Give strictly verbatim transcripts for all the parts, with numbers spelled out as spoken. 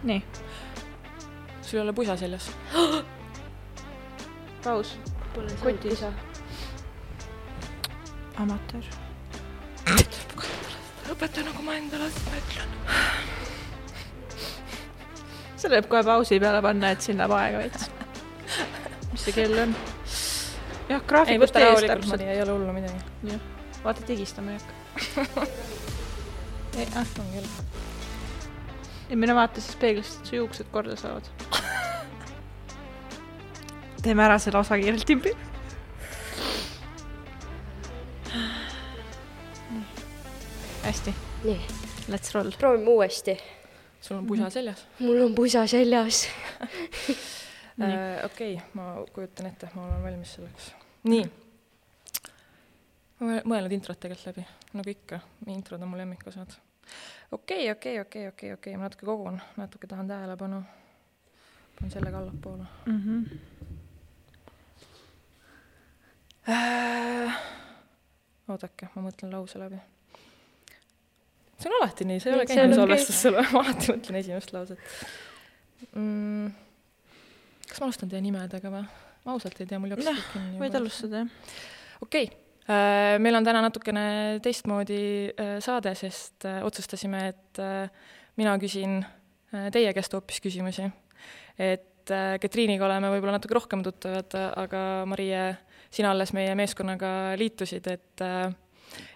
Nii. Sul ei ole pusa seljas? Paus. Pole saanud pusa. Amatöör. Õpeta nagu ma endale mõtlen. Selle võib kohe pausi peale panna, et siin läheb aega veits. Mis see kell on? Jah, graafikust ei, ees täpselt. Ei ole hullu midagi. Jah. Vaata, tigistama ei hakka. ei, ah, on küll. Ja mine vaata siis peeglist, et su juuksed korda saavad. Teeme ära selle osa kiirelt timpi. Hästi. Nii. Let's roll. Proovime uuesti. Sul on pusa seljas? Mul on pusa seljas. äh, Okei, okay, ma kujutan ette, ma olen valmis selleks. Nii. Ma mõelnud introt tegelikult läbi, nagu ikka. Introd on mul lemmikosad. Okei, okei, okei, okei, okei. Ma natuke kogun, natuke tahan tähelepanu. Panen sellega allapoole. Mhm. Äh, oodake, ma mõtlen lause läbi. See on alati nii, see ei ole käinud salvestus sulle, ma alati mõtlen esimest lauset. Mm, kas ma alustan teie nimedega või? Ma ausalt ei tea, mul jooksis kõik kinni. Võid alustada, jah. Okei, okay. Meil on täna natukene teistmoodi saade, sest otsustasime, et mina küsin teie käest hoopis küsimusi. Et Ketriiniga oleme võib-olla natuke rohkem tuttavad, aga Marie, sina alles meie meeskonnaga liitusid, et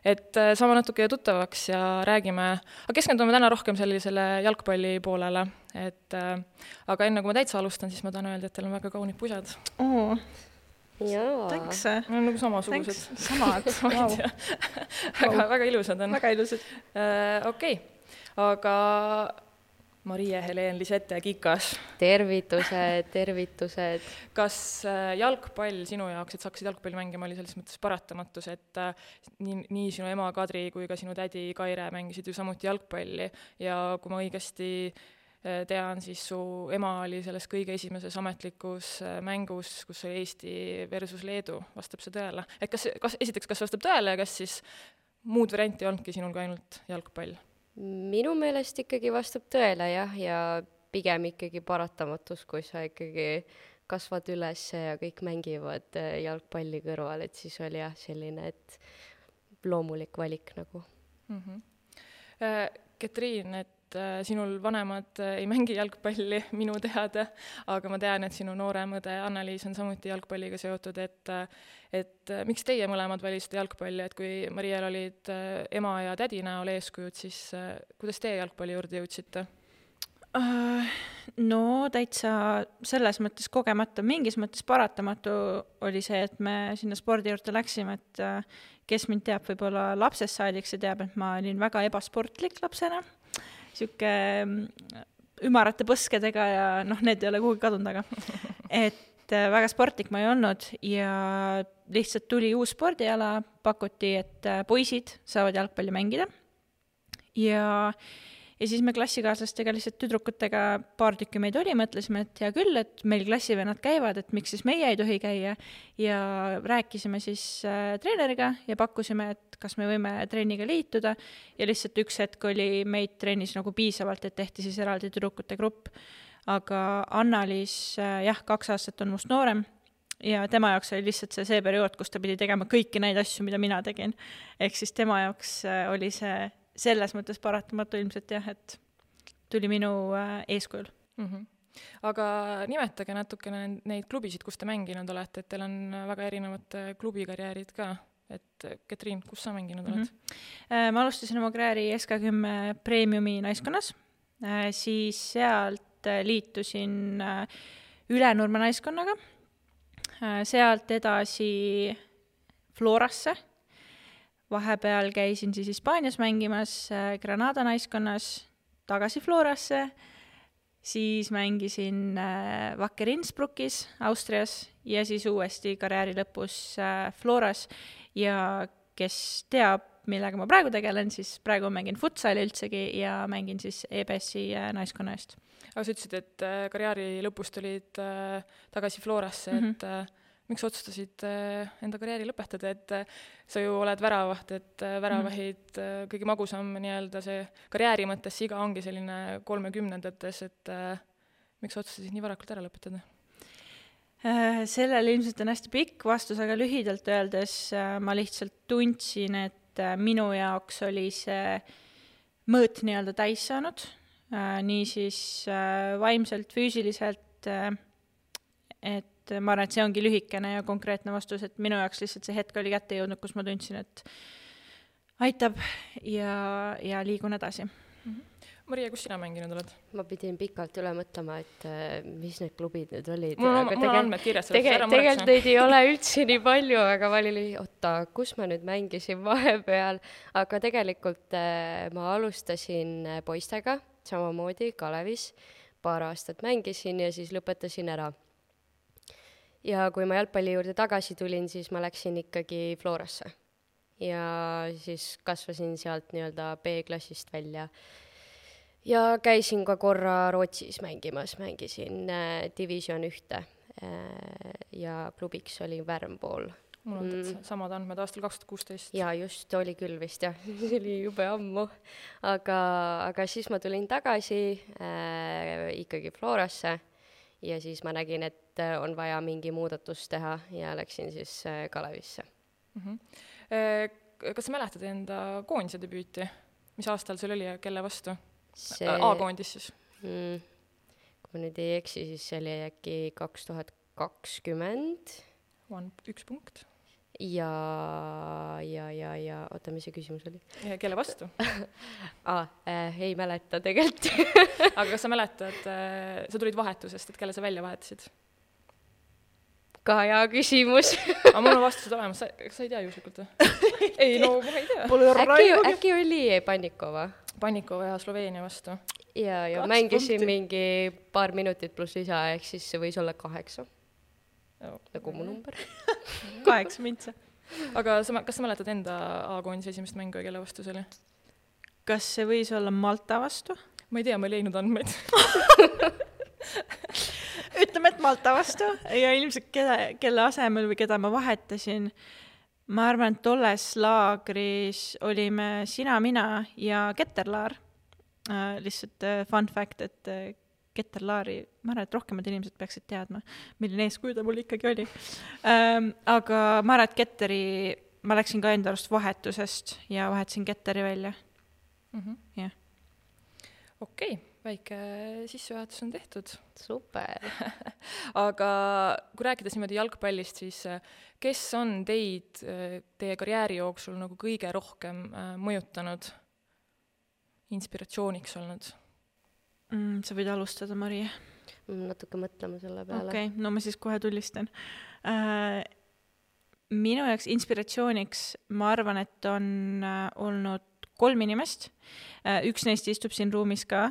et saame natuke tuttavaks ja räägime, aga keskendume täna rohkem sellisele jalgpalli poolele, et aga enne kui ma täitsa alustan, siis ma tahan öelda, et teil on väga kaunid pusad. Oo, Jaa. thanks. No, nagu samasugused. Samad, wow. väga, väga ilusad on. Väga ilusad. Uh, Okei, okay. Aga Marie Helen Lisette Kikas. Tervitused, tervitused. Kas jalgpall sinu jaoks, et sa hakkasid jalgpalli mängima, oli selles mõttes paratamatus, et nii, nii sinu ema Kadri kui ka sinu tädi Kaire mängisid ju samuti jalgpalli ja kui ma õigesti tean, siis su ema oli selles kõige esimeses ametlikus mängus, kus oli Eesti versus Leedu, vastab see tõele? Et kas, kas, esiteks, kas vastab tõele ja kas siis muud varianti olnudki sinul ka ainult jalgpall? Minu meelest ikkagi vastab tõele, jah, ja pigem ikkagi paratamatus, kui sa ikkagi kasvad üles ja kõik mängivad jalgpalli kõrval, et siis oli jah selline, et loomulik valik nagu. Mm-hmm. Ketriin, et sinul vanemad ei mängi jalgpalli minu teada, aga ma tean, et sinu noorem õde Annaliis on samuti jalgpalliga seotud, et, et miks teie mõlemad valisite jalgpalli, et kui Mariel olid ema ja tädi näol eeskujud, siis kuidas teie jalgpalli juurde jõudsite? No täitsa selles mõttes kogemata, mingis mõttes paratamatu oli see, et me sinna spordi juurde läksime, et kes mind teab võib-olla lapsest saadik, see teab, et ma olin väga ebasportlik lapsena, siuke ümarate põskedega ja noh, need ei ole kuhugi kadunud, aga et väga sportlik ma ei olnud ja lihtsalt tuli uus spordiala, pakuti, et poisid saavad jalgpalli mängida ja Ja siis me klassikaaslastega lihtsalt tüdrukutega paar tükki meid oli, mõtlesime, et hea küll, et meil klassivennad käivad, et miks siis meie ei tohi käia ja rääkisime siis äh, treeneriga ja pakkusime, et kas me võime treeniga liituda ja lihtsalt üks hetk oli meid treenis nagu piisavalt, et tehti siis eraldi tüdrukute grupp. Aga Annaliis, äh, jah, kaks aastat on must noorem ja tema jaoks oli lihtsalt see, see periood, kus ta pidi tegema kõiki neid asju, mida mina tegin. Ehk siis tema jaoks äh, oli see selles mõttes paratamatu ilmselt jah, et tuli minu äh, eeskujul. Mm-hmm. Aga nimetage natukene neid klubisid, kus te mänginud olete, et teil on väga erinevad klubikarjäärid ka. Et Ketriin, kus sa mänginud oled? Mm-hmm. Ma alustasin oma karjääri S K kümme Premiumi naiskonnas, äh, siis sealt liitusin äh, Ülenurme naiskonnaga, äh, sealt edasi Florasse, vahepeal käisin siis Hispaanias mängimas Granada naiskonnas, tagasi Florasse, siis mängisin Wacker Innsbruckis Austrias ja siis uuesti karjääri lõpus Floras ja kes teab, millega ma praegu tegelen, siis praegu mängin futsali üldsegi ja mängin siis E B S-i naiskonna eest. Aga sa ütlesid, et karjääri lõpus tulid tagasi Florasse, mm-hmm. et miks otsustasid enda karjääri lõpetada, et sa ju oled väravaht, et väravahid mm. kõige magusam nii-öelda see karjääri mõttes iga ongi selline kolmekümnendates, et miks otsustasid nii varakult ära lõpetada? Sellel ilmselt on hästi pikk vastus, aga lühidalt öeldes ma lihtsalt tundsin, et minu jaoks oli see mõõt nii-öelda täis saanud, nii siis vaimselt, füüsiliselt, et ma arvan, et see ongi lühikene ja konkreetne vastus, et minu jaoks lihtsalt see hetk oli kätte jõudnud, kus ma tundsin, et aitab ja, ja liigun edasi. Mm-hmm. Maria, kus sina mänginud oled? Ma pidin pikalt üle mõtlema, et mis need klubid nüüd olid. Mul on, mul on andmed kirjas. Tege, tegelikult neid ei ole üldse nii palju, aga ma olin, oota, kus ma nüüd mängisin vahepeal. Aga tegelikult ma alustasin poistega, samamoodi Kalevis. Paar aastat mängisin ja siis lõpetasin ära. Ja kui ma jalgpalli juurde tagasi tulin, siis ma läksin ikkagi Florasse. Ja siis kasvasin sealt nii-öelda B-klassist välja. Ja käisin ka korra Rootsis mängimas, mängisin äh, division ühte äh, ja klubiks oli Värmpool. Mul on mm. samad andmed aastal kaks tuhat kuusteist. Ja just oli küll vist, jah. See oli jube ammu. Aga, aga siis ma tulin tagasi äh, ikkagi Florasse ja siis ma nägin, et on vaja mingi muudatus teha ja läksin siis Kalevisse. Mm-hmm. Kas sa mäletad enda koondise debüüti? Mis aastal sul oli ja kelle vastu? See... A-koondis siis? Mm. Kui ma nüüd ei eksi, siis see oli äkki kaks tuhat kakskümmend. One, üks punkt. Ja, ja, ja, ja, oota, mis see küsimus oli? Ja kelle vastu? ah, äh, ei mäleta tegelikult. Aga kas sa mäletad, äh, sa tulid vahetusest, et kelle sa välja vahetasid? Ka hea küsimus. Aga mul on vastused olemas, sa, sa ei tea juhuslikult või? Ei, no ma ei tea. Äkki, äkki oli Pannikova? Pannikova ja Sloveenia vastu. Ja, ja Kaks mängisin punkti. Mingi paar minutit pluss lisa, ehk siis see võis olla kaheksa. Oh, nagu mu number. Kaheksa mintsa. Aga sa, kas sa mäletad enda A-koondise esimest mängu ja kelle vastu see oli? Kas see võis olla Malta vastu? Ma ei tea, ma ei leidnud andmeid. Ütleme, et Malta vastu ja ilmselt kelle, kelle asemel või keda ma vahetasin. Ma arvan, et tolles laagris olime sina, mina ja Ketterlaar. Äh, lihtsalt äh, fun fact, et äh, Ketterlaari, ma arvan, et rohkemad inimesed peaksid teadma, milline eeskuju ta mul ikkagi oli. Ähm, aga ma arvan, et Ketteri, ma läksin ka enda arust vahetusest ja vahetasin Ketteri välja. Mm-hmm. Yeah. Okei, okay, väike sissejuhatus on tehtud. Super. Aga kui rääkides niimoodi jalgpallist, siis kes on teid teie karjääri jooksul nagu kõige rohkem mõjutanud, inspiratsiooniks olnud? Mm, sa võid alustada, Maria. Natuke mõtlema selle peale. Okei, okay, no ma siis kohe tulistan. Äh, minu jaoks inspiratsiooniks ma arvan, et on äh, olnud kolm inimest. Äh, üks neist istub siin ruumis ka.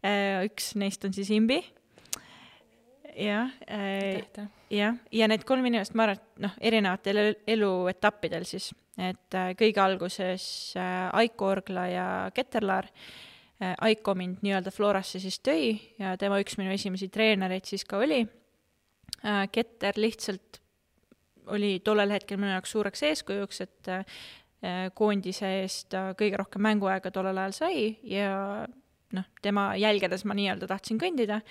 Äh, üks neist on siis Imbi. Ja, äh, ja, ja need kolm inimest, ma arvan, et noh, erinevatel eluetappidel siis. Et äh, kõige alguses äh, Aiko Orgla ja Ketterlaar. Äh, Aiko mind nii-öelda Florasse siis tõi ja tema üks minu esimesi treenereid siis ka oli. Äh, Ketter lihtsalt oli tollel hetkel minu jaoks suureks eeskujuks, et äh, koondise eest kõige rohkem mänguaega tollel ajal sai ja noh, tema jälgedes ma nii-öelda tahtsin kõndida.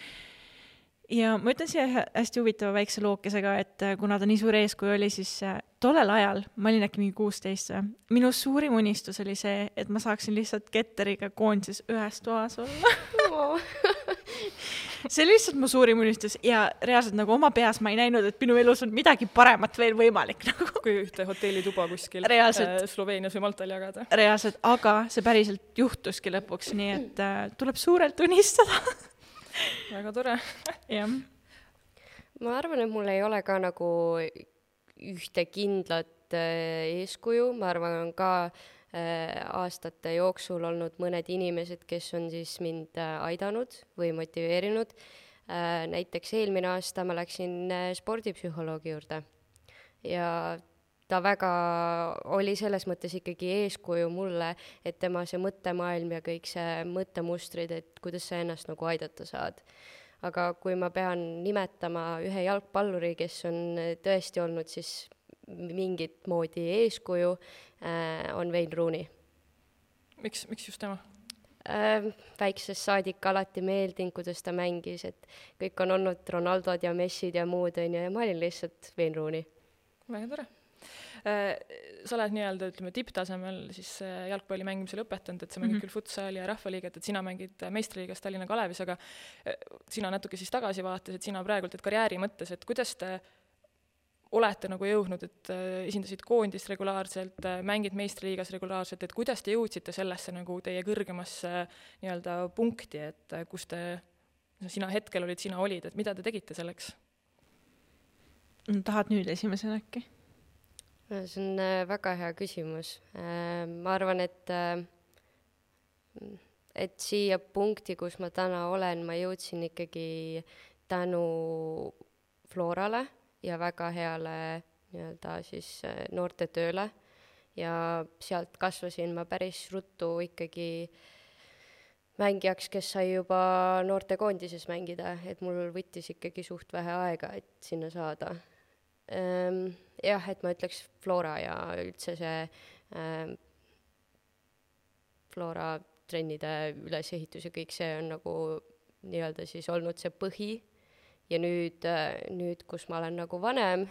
Ja ma ütlen siia hästi huvitava väikse lookesega, et kuna ta nii suur eeskuju oli, siis tollel ajal, ma olin äkki mingi kuusteist, minu suurim unistus oli see, et ma saaksin lihtsalt Ketteriga koondises ühes toas olla. See oli lihtsalt mu suurim unistus ja reaalselt nagu oma peas ma ei näinud, et minu elus on midagi paremat veel võimalik. Nagu. Kui ühte hotellituba kuskil reaalselt, Sloveenias või Maltal jagada. Reaalselt, aga see päriselt juhtuski lõpuks, nii et äh, tuleb suurelt unistada. Väga tore. Jah. Ma arvan, et mul ei ole ka nagu ühte kindlat äh, eeskuju. Ma arvan, on ka äh, aastate jooksul olnud mõned inimesed, kes on siis mind äh, aidanud või motiveerinud. Äh, näiteks eelmine aasta ma läksin äh, spordipsühholoogi juurde ja ta väga oli selles mõttes ikkagi eeskuju mulle, et tema see mõttemaailm ja kõik see mõttemustrid, et kuidas sa ennast nagu aidata saad. aga kui ma pean nimetama ühe jalgpalluri, kes on tõesti olnud siis mingit moodi eeskuju, on Wayne Rooney. Miks, miks just tema? Väiksest saadik alati meeldinud, kuidas ta mängis, et kõik on olnud Ronaldod ja Messid ja muud, on ju, ja ma olin lihtsalt Wayne Rooney. Väga tore. Sa oled nii-öelda, ütleme, tipptasemel siis jalgpalli mängimise lõpetanud, et sa mängid mm-hmm. küll futsali ja rahvaliiget, et sina mängid meistriliigas Tallinna Kalevis, aga sina natuke siis tagasi vaates, et sina praegult, et karjääri mõttes, et kuidas te olete nagu jõudnud, et esindasid koondist regulaarselt, mängid meistriliigas regulaarselt, et kuidas te jõudsite sellesse nagu teie kõrgemasse nii-öelda punkti, et kus te, sina hetkel olid, sina olid, et mida te tegite selleks? Tahad nüüd esimesena äkki? See on väga hea küsimus. Ma arvan, et, et siia punkti, kus ma täna olen, ma jõudsin ikkagi tänu Florale ja väga heale nii-öelda siis noorte tööle ja sealt kasvasin ma päris ruttu ikkagi mängijaks, kes sai juba noorte koondises mängida, et mul võttis ikkagi suht vähe aega, et sinna saada. Ähm, jah, et ma ütleks Flora ja üldse see ähm, Flora trennide ülesehitus ja kõik see on nagu nii-öelda siis olnud see põhi. Ja nüüd, nüüd, kus ma olen nagu vanem,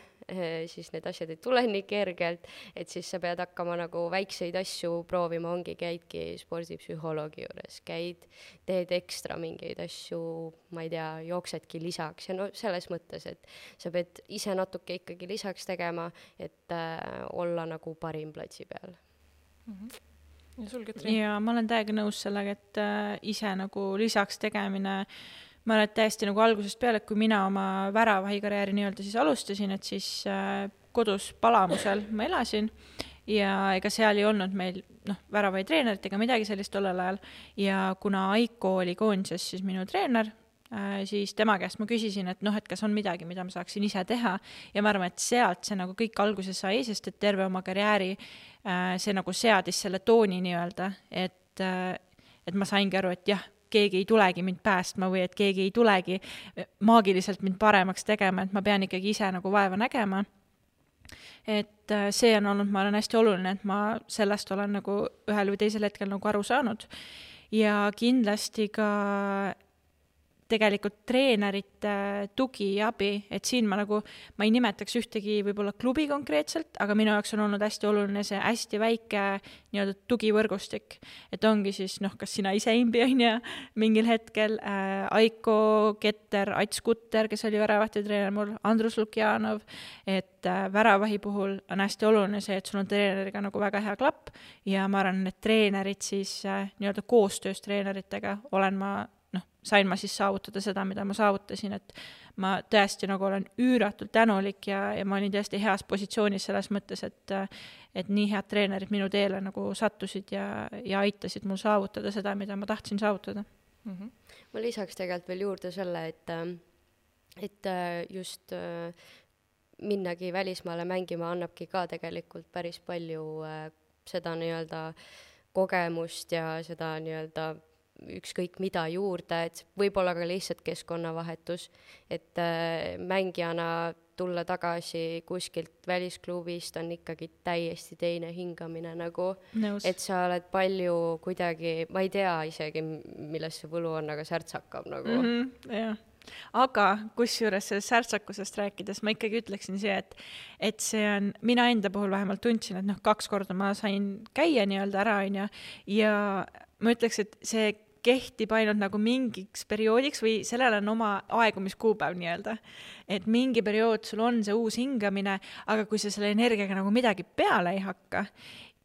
siis need asjad ei tule nii kergelt, et siis sa pead hakkama nagu väikseid asju proovima, ongi, käidki spordipsühholoogi juures, käid, teed ekstra mingeid asju, ma ei tea, jooksedki lisaks ja no selles mõttes, et sa pead ise natuke ikkagi lisaks tegema, et äh, olla nagu parim platsi peal. Mm-hmm. Ja sul, Ketrin? Ja ma olen täiega nõus sellega, et äh, ise nagu lisaks tegemine ma olen täiesti nagu algusest peale, et kui mina oma väravahikarjääri nii-öelda siis alustasin, et siis äh, kodus Palamusel ma elasin ja ega seal ei olnud meil noh, väravahi treenerit ega midagi sellist tollel ajal ja kuna Aiko oli koondises siis minu treener, äh, siis tema käest ma küsisin, et noh, et kas on midagi, mida ma saaksin ise teha ja ma arvan, et sealt see nagu kõik alguses sai, sest et terve oma karjääri äh, see nagu seadis selle tooni nii-öelda, et, äh, et ma saingi aru, et jah, keegi ei tulegi mind päästma või et keegi ei tulegi maagiliselt mind paremaks tegema, et ma pean ikkagi ise nagu vaeva nägema. Et see on olnud, ma olen hästi oluline, et ma sellest olen nagu ühel või teisel hetkel nagu aru saanud. Ja kindlasti ka tegelikult treenerite tugi ja abi, et siin ma nagu, ma ei nimetaks ühtegi võib-olla klubi konkreetselt, aga minu jaoks on olnud hästi oluline see hästi väike nii-öelda tugivõrgustik, et ongi siis, noh, kas sina ise imbi on ja mingil hetkel äh, Aiko Ketter, Ats Kutter, kes oli väravahti treener mul, Andrus Lukjanov, et äh, väravahi puhul on hästi oluline see, et sul on treeneriga nagu väga hea klapp ja ma arvan, et treenerid siis äh, nii-öelda koostöös treeneritega olen ma noh, sain ma siis saavutada seda, mida ma saavutasin, et ma tõesti nagu olen üüratult tänulik ja, ja ma olin tõesti heas positsioonis selles mõttes, et, et nii head treenerid minu teele nagu sattusid ja, ja aitasid mul saavutada seda, mida ma tahtsin saavutada. Mm-hmm. Ma lisaks tegelikult veel juurde selle, et, et just minnagi välismaale mängima annabki ka tegelikult päris palju seda nii-öelda kogemust ja seda nii-öelda ükskõik mida juurde, et võib-olla ka lihtsalt keskkonnavahetus, et äh, mängijana tulla tagasi kuskilt välisklubist on ikkagi täiesti teine hingamine nagu, Nõus. Et sa oled palju kuidagi, ma ei tea isegi, milles see võlu on, aga särts hakkab nagu. Mm-hmm, jah. Aga kusjuures sellest särtsakusest rääkides ma ikkagi ütleksin see, et, et see on, mina enda puhul vähemalt tundsin, et noh, kaks korda ma sain käia nii-öelda ära on ja, ja ma ütleks, et see kehtib ainult nagu mingiks perioodiks või sellel on oma aegumiskuupäev nii-öelda. Et mingi periood sul on see uus hingamine, aga kui sa selle energiaga nagu midagi peale ei hakka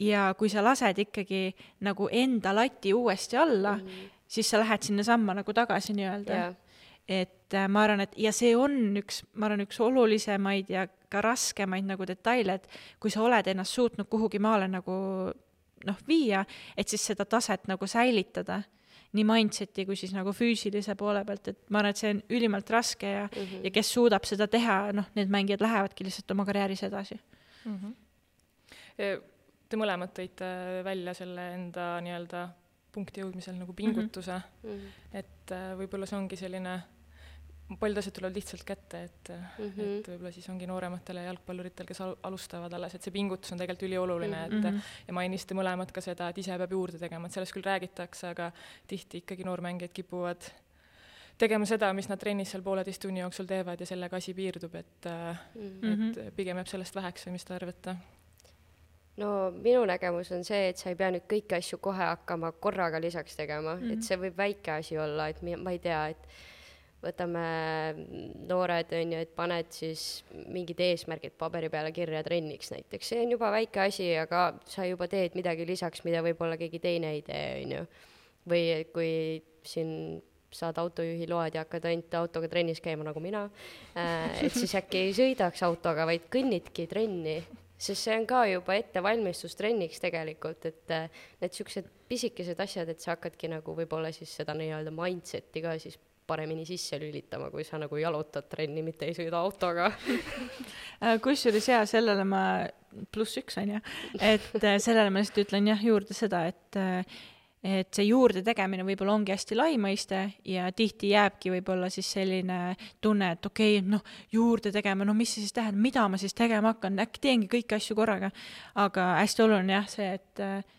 ja kui sa lased ikkagi nagu enda lati uuesti alla, mm-hmm. siis sa lähed sinna samma nagu tagasi nii-öelda. Yeah. Et ma arvan, et ja see on üks, ma arvan, üks olulisemaid ja ka raskemaid nagu detaile, et kui sa oled ennast suutnud kuhugi maale nagu noh, viia, et siis seda taset nagu säilitada nii mindseti kui siis nagu füüsilise poole pealt, et ma arvan, et see on ülimalt raske ja, mm-hmm. ja kes suudab seda teha, noh, need mängijad lähevadki lihtsalt oma karjääris edasi. Mm-hmm. Te mõlemad tõite välja selle enda nii-öelda punkti jõudmisel nagu pingutuse, mm-hmm. et võib-olla see ongi selline paljud asjad tulevad lihtsalt kätte, et, Mhm. et võib-olla siis ongi noorematele jalgpalluritel, kes al- alustavad alles, et see pingutus on tegelikult ülioluline, et Mhm. ja mainisite mõlemad ka seda, et ise peab juurde tegema, et sellest küll räägitakse, aga tihti ikkagi noormängijad kipuvad tegema seda, mis nad trennis seal pooleteist tunni jooksul teevad ja sellega asi piirdub, et, Mhm. et pigem jääb sellest väheks või mis te arvate? no minu nägemus on see, et sa ei pea nüüd kõiki asju kohe hakkama korraga lisaks tegema mm, -hmm. et see võib väike asi olla, et mi- ma ei tea, et võtame noored, on ju, et paned siis mingid eesmärgid paberi peale kirja trenniks näiteks, see on juba väike asi, aga sa juba teed midagi lisaks, mida võib-olla keegi teine ei tee, on ju. või kui siin saad autojuhi load ja hakkad ainult autoga trennis käima nagu mina, et siis äkki ei sõidaks autoga, vaid kõnnidki trenni, sest see on ka juba ettevalmistus trenniks tegelikult, et need siuksed pisikesed asjad, et sa hakkadki nagu võib-olla siis seda nii-öelda mindseti ka siis paremini sisse lülitama, kui sa nagu jalutad trenni, mitte ei sõida autoga. Kusjuures jaa, sellele ma, pluss üks on ju, et sellele ma lihtsalt ütlen jah juurde seda, et et see juurde tegemine võib-olla ongi hästi lai mõiste ja tihti jääbki võib-olla siis selline tunne, et okei, okay, noh, juurde tegema, no mis see siis tähendab, mida ma siis tegema hakkan, äkki teengi kõiki asju korraga, aga hästi oluline jah see, et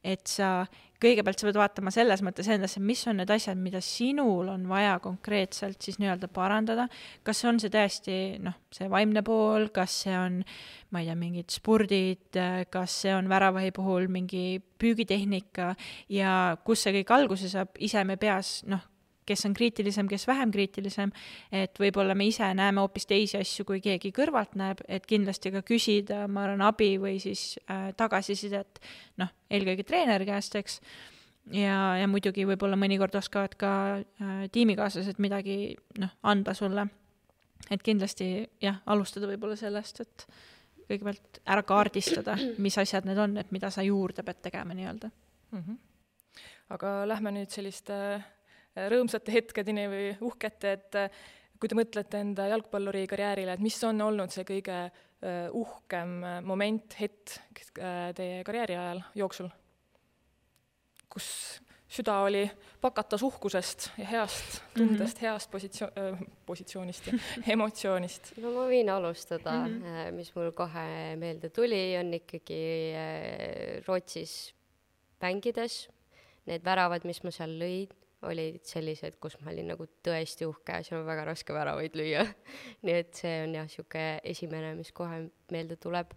et sa kõigepealt sa pead vaatama selles mõttes endasse, mis on need asjad, mida sinul on vaja konkreetselt siis nii-öelda parandada, kas on see tõesti, noh, see vaimne pool, kas see on, ma ei tea, mingid spordid, kas see on väravahi puhul mingi püügitehnika ja kus see kõik alguse saab, ise me peas, noh, kes on kriitilisem, kes vähem kriitilisem, et võib-olla me ise näeme hoopis teisi asju, kui keegi kõrvalt näeb, et kindlasti ka küsida, ma arvan, abi või siis äh, tagasisidet, noh, eelkõige treeneri käest, eks, ja, ja muidugi võib-olla mõnikord oskavad ka äh, tiimikaaslased midagi, noh, anda sulle. Et kindlasti, jah, alustada võib-olla sellest, et kõigepealt ära kaardistada, mis asjad need on, et mida sa juurde pead tegema nii-öelda. Mm-hmm. Aga lähme nüüd selliste rõõmsate hetkedeni või uhkete, et kui te mõtlete enda jalgpalluri karjäärile, et mis on olnud see kõige uhkem moment, hetk teie karjääri ajal jooksul, kus süda oli pakatas uhkusest ja heast tundest, heast positsioon, äh, positsioonist ja emotsioonist? No ma võin alustada, mm-hmm. mis mul kohe meelde tuli, on ikkagi Rootsis mängides. Need väravad, mis ma seal lõid, olid sellised, kus ma olin nagu tõesti uhke, seal on väga raske väravaid lüüa. Nii et see on jah, siuke esimene, mis kohe meelde tuleb.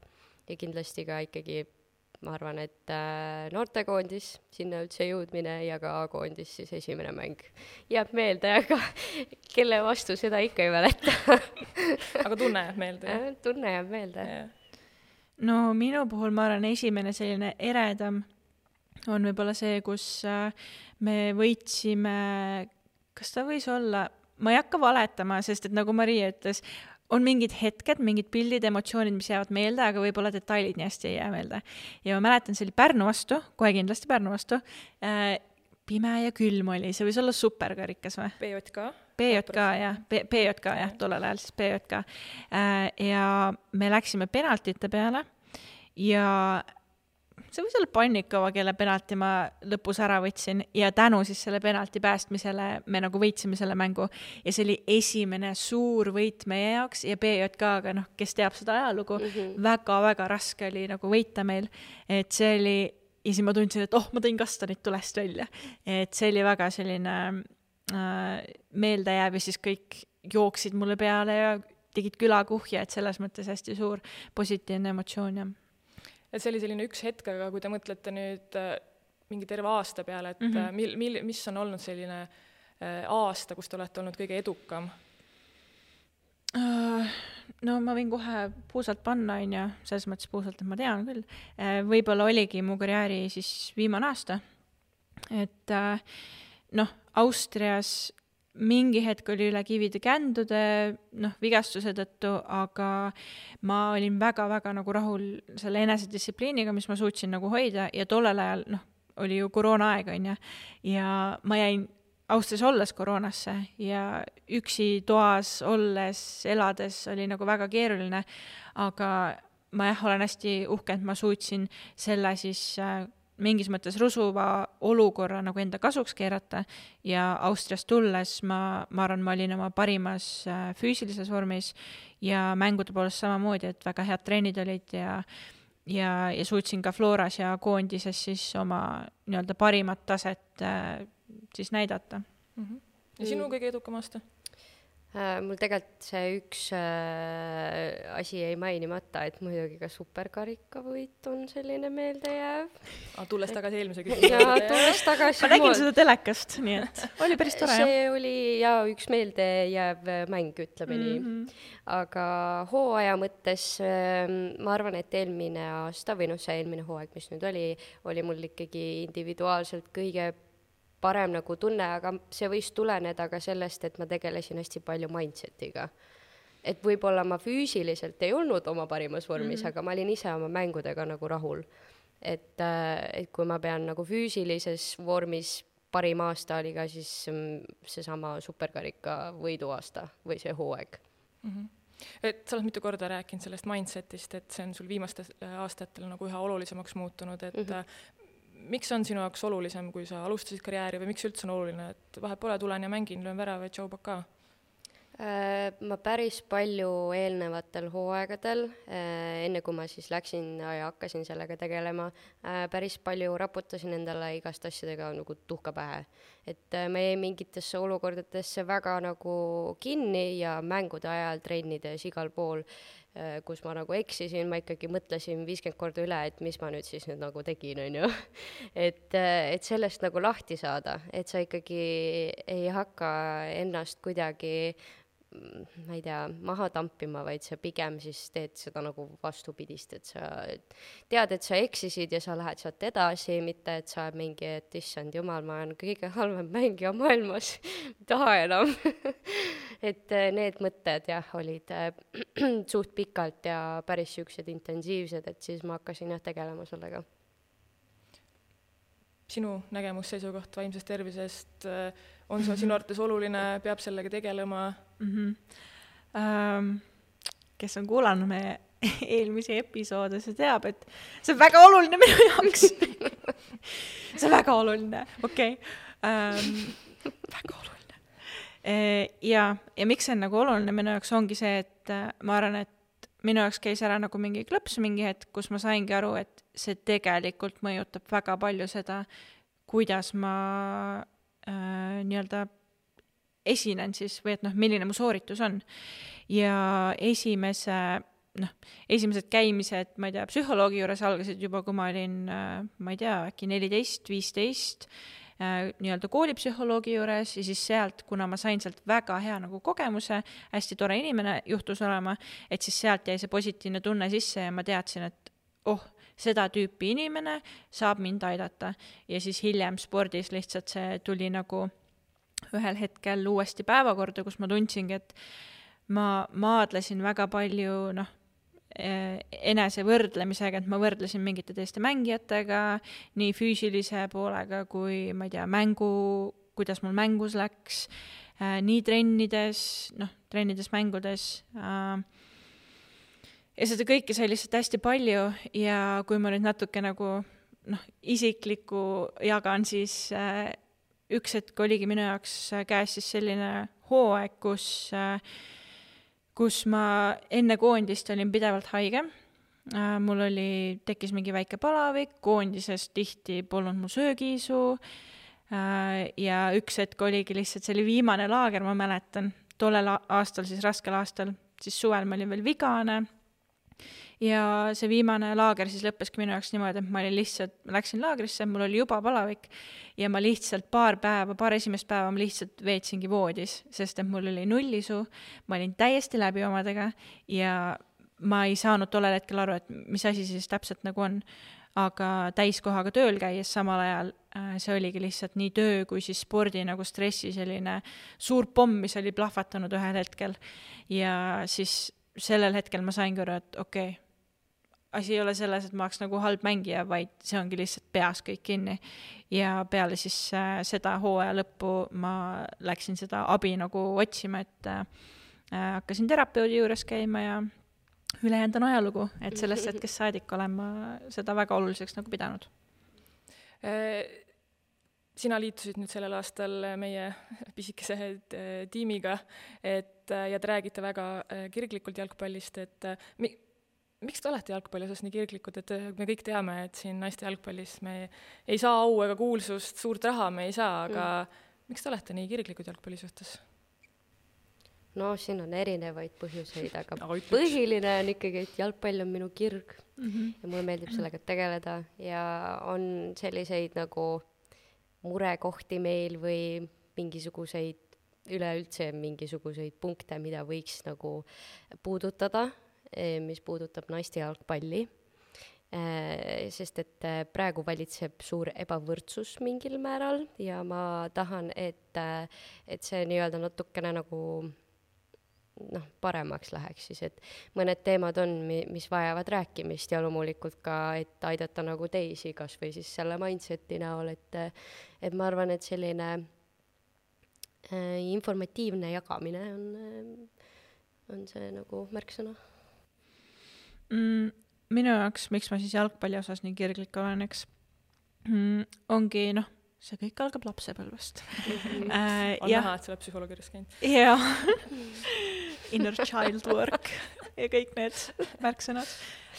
Ja kindlasti ka ikkagi, ma arvan, et noortekoondis, sinna üldse jõudmine ja ka A-koondis siis esimene mäng jääb meelde, aga kelle vastu seda ikka ei mäleta. Aga tunne jääb meelde? Tunne jääb meelde. No minu puhul ma arvan, esimene selline eredam on võib-olla see, kus me võitsime, kas ta võis olla, ma ei hakka valetama, sest et nagu Maria ütles, on mingid hetked, mingid pildid, emotsioonid, mis jäävad meelde, aga võib-olla detailid nii hästi ei jää meelde. Ja ma mäletan, see oli Pärnu vastu, kohe kindlasti Pärnu vastu, pime ja külm oli, see võis olla superkarikas või? P J K? P J K, jah, P J K, jah, tollel ajal siis P J K. Ja me läksime penaltite peale ja see võis olla Pannikova, kelle penalti ma lõpus ära võtsin ja tänu siis selle penalti päästmisele me nagu võitsime selle mängu ja see oli esimene suur võit meie jaoks ja P J K-ga, noh, kes teab seda ajalugu, mm-hmm. väga-väga raske oli nagu võita meil, et see oli, ja siis ma tundsin, et oh, ma tõin kastanit tulest välja, et see oli väga selline äh, meeldejääv ja siis kõik jooksid mulle peale ja tegid külakuhja, et selles mõttes hästi suur positiivne emotsioon ja et see oli selline üks hetk, aga kui te mõtlete nüüd mingi terve aasta peale, et mm-hmm. mil, mil, mis on olnud selline aasta, kus te olete olnud kõige edukam? No ma võin kohe puusalt panna, on ja selles mõttes puusalt, et ma tean küll. Võib-olla oligi mu karjääri siis viimane aasta. Et noh, Austrias mingi hetk oli üle kivide kändude, noh, vigastuse tõttu, aga ma olin väga-väga nagu rahul selle enesedistsipliiniga, mis ma suutsin nagu hoida ja tollel ajal, noh, oli ju koroona aeg, on ja, ja ma jäin Austrias olles koroonasse ja üksi toas olles, elades oli nagu väga keeruline, aga ma jah, olen hästi uhke, et ma suutsin selle siis mingis mõttes rusuva olukorra nagu enda kasuks keerata ja Austriast tulles ma, ma arvan, ma olin oma parimas äh, füüsilises vormis ja mängude poolest samamoodi, et väga head treenid olid ja ja, ja suutsin ka Floras ja koondises siis oma nii-öelda parimat taset äh, siis näidata. Mm-hmm. Ja sinu kõige edukam aasta? Uh, mul tegelikult see üks uh, asi jäi mainimata, et muidugi ka superkarikavõit on selline meeldejääv. Ah, tulles tagasi eelmise küsimuse. Ja tulles tagasi. Ma nägin seda telekast, nii et oli päris tore. See jah? Oli ja üks meeldejääv mäng, ütleme nii. Mm-hmm. Aga hooaja mõttes uh, ma arvan, et eelmine aasta või noh, see eelmine hooaeg, mis nüüd oli, oli mul ikkagi individuaalselt kõige parem nagu tunne, aga see võis tuleneda ka sellest, et ma tegelesin hästi palju mindsetiga. Et võib-olla ma füüsiliselt ei olnud oma parimas vormis, mm-hmm. aga ma olin ise oma mängudega nagu rahul. Et, et kui ma pean nagu füüsilises vormis parim aasta oli ka siis seesama superkarika võidu aasta või see hooaeg. Mm-hmm. Et sa oled mitu korda rääkinud sellest mindsetist, et see on sul viimastel aastatel nagu üha olulisemaks muutunud, et mm-hmm. miks on sinu jaoks olulisem, kui sa alustasid karjääri või miks üldse on oluline, et vahe pole, tulen ja mängin, löön värava ja tšau baka? Ma päris palju eelnevatel hooaegadel, enne kui ma siis läksin ja hakkasin sellega tegelema, päris palju raputasin endale igast asjadega nagu tuhka pähe. Et me jäi mingitesse olukordadesse väga nagu kinni ja mängude ajal trennides igal pool, kus ma nagu eksisin, ma ikkagi mõtlesin viiskümmend korda üle, et mis ma nüüd siis nüüd nagu tegin, on ju. Et, et sellest nagu lahti saada, et sa ikkagi ei hakka ennast kuidagi, ma ei tea, maha tampima, vaid sa pigem siis teed seda nagu vastupidist, et sa tead, et sa eksisid ja sa lähed sealt edasi, mitte et sa mingi, et issand jumal, ma olen kõige halvem mängija maailmas, taha enam. Et need mõtted jah, olid suht pikalt ja päris siuksed intensiivsed, et siis ma hakkasin jah tegelema sellega. Sinu nägemus seisukoht vaimsest tervisest on see sinu arvates oluline, peab sellega tegelema? Mm-hmm. Um, kes on kuulanud meie eelmisi episoode, see teab, et see on väga oluline minu jaoks. See on väga oluline, okei. Okay. Um, väga oluline. E, ja, ja miks see on nagu oluline minu jaoks ongi see, et ma arvan, et minu jaoks käis ära nagu mingi klõps mingi hetk, kus ma saingi aru, et see tegelikult mõjutab väga palju seda, kuidas ma äh, nii-öelda esinen siis, või et noh, milline mu sooritus on. Ja esimese, noh, esimesed käimised, ma ei tea, psühholoogi juures algasid juba, kui ma olin, äh, ma ei tea, äkki neliteist, viisteist, äh, nii-öelda koolipsühholoogi juures ja siis sealt, kuna ma sain sealt väga hea nagu kogemuse, hästi tore inimene juhtus olema, et siis sealt jäi see positiivne tunne sisse ja ma teadsin, et oh, seda tüüpi inimene saab mind aidata. Ja siis hiljem spordis lihtsalt see tuli nagu ühel hetkel uuesti päevakorda, kus ma tundsingi, et ma maadlesin väga palju noh, enese võrdlemisega, et ma võrdlesin mingite teiste mängijatega, nii füüsilise poolega kui, ma ei tea, mängu, kuidas mul mängus läks, nii trennides, noh, trennides, mängudes. Ja seda kõike sai lihtsalt hästi palju ja kui ma nüüd natuke nagu noh, isiklikku jagan, siis üks hetk oligi minu jaoks käes siis selline hooaeg, kus, kus ma enne koondist olin pidevalt haige. Mul oli, tekkis mingi väike palavik, koondises tihti polnud mu söögiisu ja üks hetk oligi lihtsalt, see oli viimane laager, ma mäletan, tollel aastal, siis raskel aastal, siis suvel ma olin veel vigane. Ja see viimane laager siis lõppeski minu jaoks niimoodi, et ma olin lihtsalt, ma läksin laagrisse, mul oli juba palavik ja ma lihtsalt paar päeva, paar esimest päeva ma lihtsalt veetsingi voodis, sest et mul oli nullisu, ma olin täiesti läbi omadega ja ma ei saanud tollel hetkel aru, et mis asi siis täpselt nagu on, aga täiskohaga tööl käies samal ajal see oligi lihtsalt nii töö kui siis spordi nagu stressi selline suur pomm, mis oli plahvatanud ühel hetkel ja siis sellel hetkel ma sain kõru, et okei, okay, asi ei ole selles, et ma oleks nagu halb mängija, vaid see ongi lihtsalt peas kõik kinni. Ja peale siis äh, seda hooaja lõppu ma läksin seda abi nagu otsima, et äh, hakkasin terapeudi juures käima ja ülejäänud on ajalugu, et sellest hetkest saadik olen ma seda väga oluliseks nagu pidanud. Sina liitusid nüüd sellel aastal meie pisikese tiimiga, et ja te räägite väga kirglikult jalgpallist, et mi, miks te olete jalgpalli osas nii kirglikud, et me kõik teame, et siin naiste jalgpallis me ei saa au ega kuulsust, suurt raha me ei saa, aga mm. miks te olete nii kirglikud jalgpalli suhtes? No siin on erinevaid põhjuseid, aga põhiline on ikkagi, et jalgpall on minu kirg mm-hmm. ja mulle meeldib sellega tegeleda ja on selliseid nagu murekohti meil või mingisuguseid, üleüldse mingisuguseid punkte, mida võiks nagu puudutada, mis puudutab naiste jalgpalli, sest et praegu valitseb suur ebavõrdsus mingil määral ja ma tahan, et, et see nii-öelda natukene nagu noh, paremaks läheks siis, et mõned teemad on, mis vajavad rääkimist ja loomulikult ka, et aidata nagu teisi, kas või siis selle mindseti näol, et, et ma arvan, et selline äh, informatiivne jagamine on, on see nagu märksõna. Mm, minu jaoks, miks ma siis jalgpalli osas nii kirglik olen, eks, mm, ongi, noh, see kõik algab lapsepõlvest. Mm-hmm. äh, on ja. näha, et sa oled psühholoogi juures käinud. Jaa. Inner child work ja kõik need märksõnad.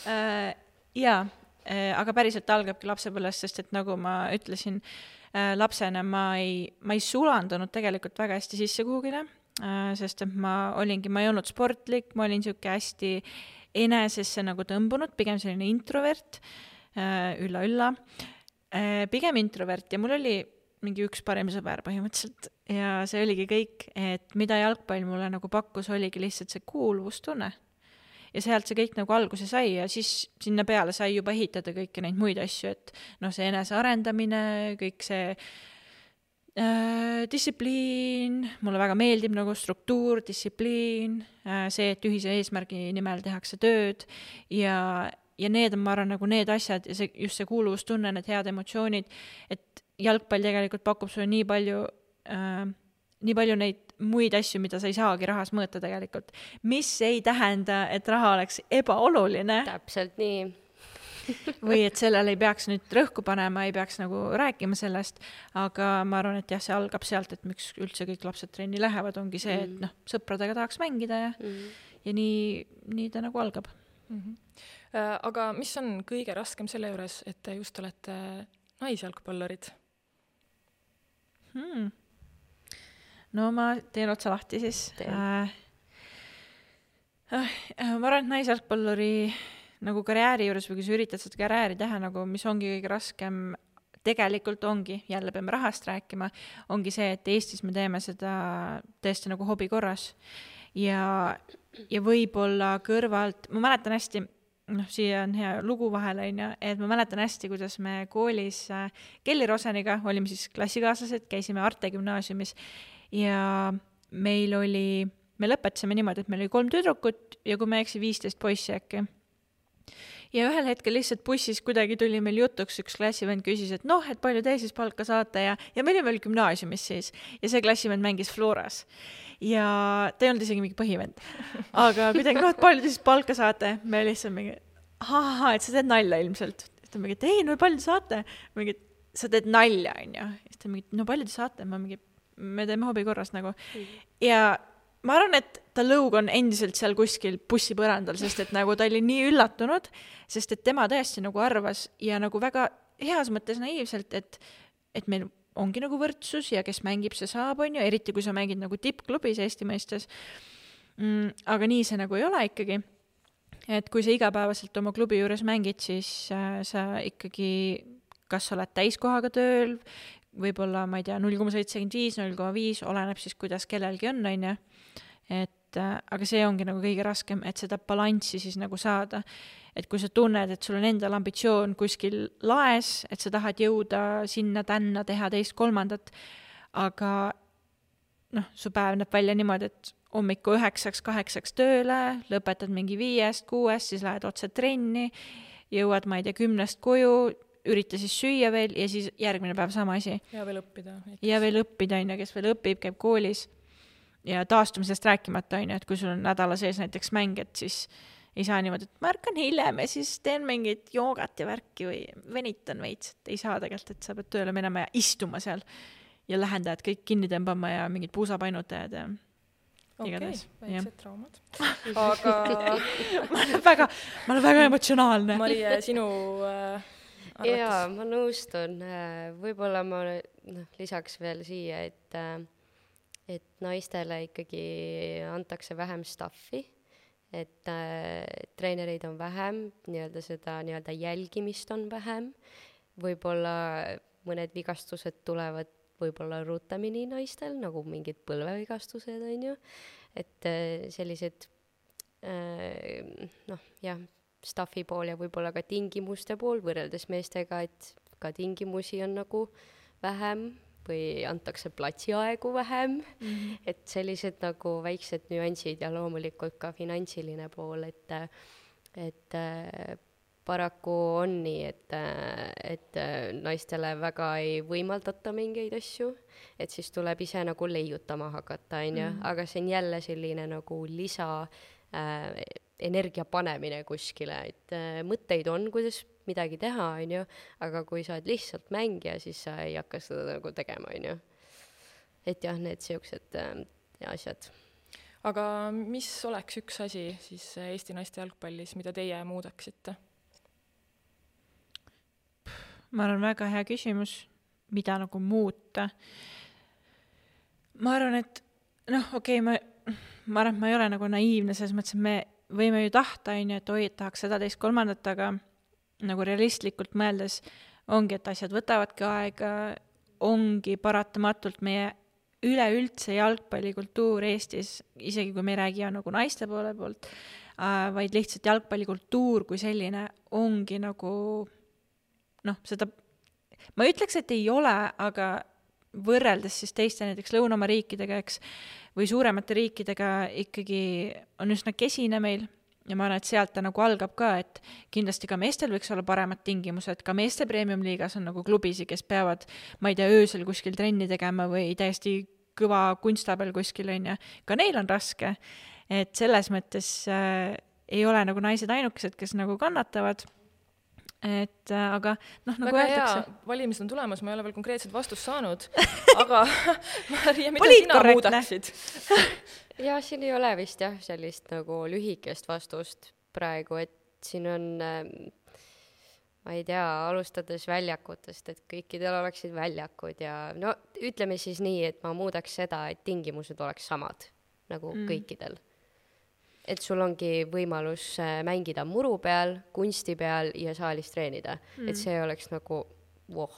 Äh, jaa, äh, aga päriselt algabki lapsepõlvest, sest et nagu ma ütlesin, äh, lapsena ma ei, ma ei sulandunud tegelikult väga hästi sisse kuhugile, äh, sest et ma olingi, ma ei olnud sportlik, ma olin siuke hästi enesesse nagu tõmbunud, pigem selline introvert, äh, ülla, ülla. Pigem introvert ja mul oli mingi üks parim sõber põhimõtteliselt ja see oligi kõik, et mida jalgpall mulle nagu pakkus, oligi lihtsalt see kuuluvustunne. Ja sealt see kõik nagu alguse sai ja siis sinna peale sai juba ehitada kõiki neid muid asju, et noh, see enese arendamine, kõik see äh, distsipliin, mulle väga meeldib nagu struktuur, distsipliin, äh, see, et ühise eesmärgi nimel tehakse tööd ja ja need on, ma arvan, nagu need asjad ja see, just see kuuluvustunne, need head emotsioonid, et jalgpall tegelikult pakub sulle nii palju, äh, nii palju neid muid asju, mida sa ei saagi rahas mõõta tegelikult. Mis ei tähenda, et raha oleks ebaoluline. Täpselt nii. või et sellele ei peaks nüüd rõhku panema, ei peaks nagu rääkima sellest, aga ma arvan, et jah, see algab sealt, et miks üldse kõik lapsed trenni lähevad, ongi see, et noh, sõpradega tahaks mängida ja, mm. ja nii, nii ta nagu algab. Mm-hmm. Aga mis on kõige raskem selle juures, et te just olete naisjalgpallurid? Hmm. No ma teen otsa lahti siis. Äh, äh, ma arvan, et naisjalgpalluri nagu karjääri juures või kui sa üritad seda karjääri teha, nagu, mis ongi kõige raskem, tegelikult ongi, jälle peame rahast rääkima, ongi see, et Eestis me teeme seda tõesti nagu hobi korras. Ja, ja võib-olla kõrvalt, ma mäletan hästi, noh, siia on hea lugu vahele, et ma mäletan hästi, kuidas me koolis Kelly Roseniga olime siis klassikaaslased, käisime Arte gümnaasiumis ja meil oli, me lõpetasime niimoodi, et meil oli kolm tüdrukut ja kui me eksi viisteist poissi äkki. Ja ühel hetkel lihtsalt bussis kuidagi tuli meil jutuks, üks klassivend küsis, et noh, et palju te siis palka saate ja, ja me olime veel gümnaasiumis siis ja see klassivend mängis Floras ja ta ei olnud isegi mingi põhivend, aga kuidagi, noh, et palju te siis palka saate, me lihtsalt mingi, ahaa, et sa teed nalja ilmselt, et ta mingi, et ei, no palju te saate, mingi, sa teed nalja, on ju, ja ta mingi, no palju te saate, ma mingi, me teeme hobi korras nagu ja ma arvan, et ta lõug on endiselt seal kuskil bussipõrandal, sest et nagu ta oli nii üllatunud, sest et tema tõesti nagu arvas ja nagu väga heas mõttes naiivselt, et, et meil ongi nagu võrdsus ja kes mängib, see saab, on ju, eriti kui sa mängid nagu tippklubis Eesti mõistes. Mm, aga nii see nagu ei ole ikkagi. Et kui sa igapäevaselt oma klubi juures mängid, siis äh, sa ikkagi, kas sa oled täiskohaga tööl, võib-olla, ma ei tea, null koma seitsekümmend viis, null koma viis, oleneb siis, kuidas kellelgi on, on ju. Et, äh, aga see ongi nagu kõige raskem, et seda balanssi siis nagu saada. Et kui sa tunned, et sul on endal ambitsioon kuskil laes, et sa tahad jõuda sinna tänna, teha teist kolmandat, aga noh, su päev näeb välja niimoodi, et hommiku üheksaks, kaheksaks tööle, lõpetad mingi viiest, kuuest, siis lähed otse trenni, jõuad, ma ei tea, kümnest koju, ürita siis süüa veel ja siis järgmine päev sama asi. Ja veel õppida. Ja veel õppida, on ju, kes veel õpib, käib koolis ja taastumisest rääkimata, on ju, et kui sul on nädala sees näiteks mäng, et siis ei saa niimoodi, et ma ärkan hiljem ja siis teen mingit joogat ja värki või venitan veits, et ei saa tegelikult, et sa pead tööle minema ja istuma seal ja lähendajad kõik kinni tõmbama ja mingid puusapainutajad ja okei, igatahes, jah. väiksed traumad. Aga ma olen väga, ma olen väga emotsionaalne. Marie, sinu äh, arvates? jaa, ma nõustun. Äh, Võib-olla ma noh, lisaks veel siia, et, äh, et naistele ikkagi antakse vähem staffi, et äh, treenereid on vähem, nii-öelda seda nii-öelda jälgimist on vähem, võib-olla mõned vigastused tulevad võib-olla ruutamini naistel, nagu mingid põlvevigastused, on ju, et äh, sellised äh, noh, jah, staffi pool ja võib-olla ka tingimuste pool võrreldes meestega, et ka tingimusi on nagu vähem või antakse platsiaegu vähem, mm-hmm. et sellised nagu väiksed nüansid ja loomulikult ka finantsiline pool, et, et äh, paraku on nii, et, et naistele väga ei võimaldata mingeid asju, et siis tuleb ise nagu leiutama hakata, on ju, mm. aga see on jälle selline nagu lisa äh, energia panemine kuskile, et äh, mõtteid on, kuidas midagi teha, on ju, aga kui sa oled lihtsalt mängija, siis sa ei hakka seda nagu tegema, on ju. Et jah, need siuksed äh, asjad. Aga mis oleks üks asi siis Eesti naiste jalgpallis, mida teie muudaksite? Ma arvan, väga hea küsimus, mida nagu muuta. Ma arvan, et noh, okei, okay, ma, ma arvan, et ma ei ole nagu naiivne, selles mõttes, et me võime ju tahta, et oi, et tahaks seda teist kolmandat, aga nagu realistlikult mõeldes ongi, et asjad võtavadki aega, ongi paratamatult meie üleüldse jalgpallikultuur Eestis, isegi kui me ei räägi nagu naiste poole poolt, vaid lihtsalt jalgpallikultuur kui selline ongi nagu noh, seda, ma ütleks, et ei ole, aga võrreldes siis teiste näiteks Lõunamaa riikidega, eks, või suuremate riikidega ikkagi on üsna kesine meil ja ma arvan, et sealt ta nagu algab ka, et kindlasti ka meestel võiks olla paremad tingimused, ka meeste premium-liigas on nagu klubisi, kes peavad, ma ei tea, öösel kuskil trenni tegema või täiesti kõva kunstabel kuskil, on ja ka neil on raske, et selles mõttes äh, ei ole nagu naised ainukesed, kes nagu kannatavad. Et äh, aga noh, nagu väga öeldakse. Hea, valimised on tulemas, ma ei ole veel konkreetselt vastust saanud, aga Maria, mida sina muudaksid? ja siin ei ole vist jah sellist nagu lühikest vastust praegu, et siin on äh, ma ei tea, alustades väljakutest, et kõikidel oleksid väljakud ja no ütleme siis nii, et ma muudaks seda, et tingimused oleks samad nagu mm. kõikidel. Et sul ongi võimalus mängida muru peal, kunsti peal ja saalis treenida. Mm. Et see oleks nagu, voh,